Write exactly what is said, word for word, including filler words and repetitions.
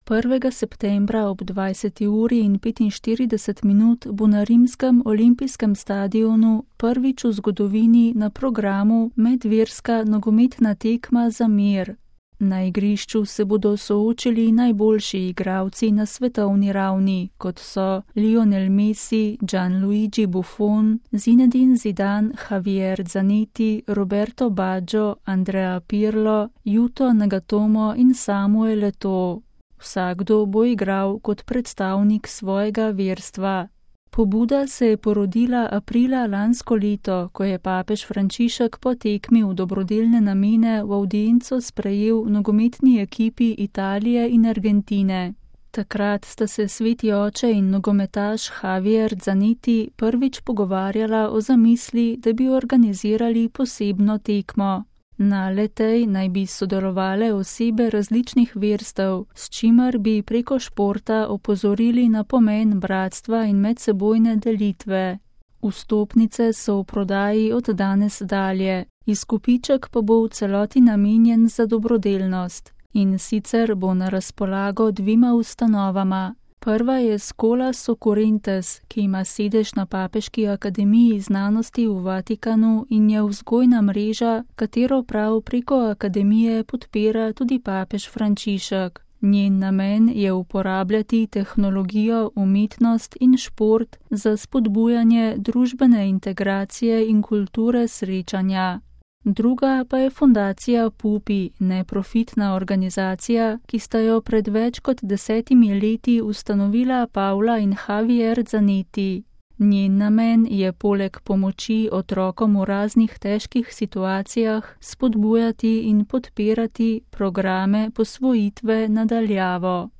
prvega septembra ob dvajseti uri in petinštirideset minut bo na rimskem olimpijskem stadionu prvič v zgodovini na programu medverska nogometna tekma za mir. Na igrišču se bodo soočili najboljši igralci na svetovni ravni, kot so Lionel Messi, Gianluigi Buffon, Zinedine Zidane, Javier Zanetti, Roberto Baggio, Andrea Pirlo, Yuto Nagatomo in Samuel Eto'o. Vsakdo bo igral kot predstavnik svojega verstva. Pobuda se je porodila aprila lansko leto, ko je papež Frančišek po tekmi v dobrodelne namene v avdienco sprejel nogometni ekipi Italije in Argentine. Takrat sta se sveti oče in nogometaš Javier Zanetti prvič pogovarjala o zamisli, da bi organizirali posebno tekmo. Na le-tej naj bi sodelovale osebe različnih verstev, s čimer bi preko športa opozorili na pomen bratstva in medsebojne delitve. Vstopnice so v prodaji od danes dalje, izkupiček pa bo v celoti namenjen za dobrodelnost. In sicer bo na razpolago dvima ustanovama. Prva je Scholas Occurrentes, ki ima sedež na Papeški akademiji znanosti v Vatikanu in je vzgojna mreža, katero prav preko akademije podpira tudi papež Frančišek. Njen namen je uporabljati tehnologijo, umetnost in šport za spodbujanje družbene integracije in kulture srečanja. Druga pa je fundacija Pupi, neprofitna organizacija, ki sta jo pred več kot desetimi leti ustanovila Paula in Javier Zanetti. Njen namen je poleg pomoči otrokom v raznih težkih situacijah spodbujati in podpirati programe posvojitve nadaljavo.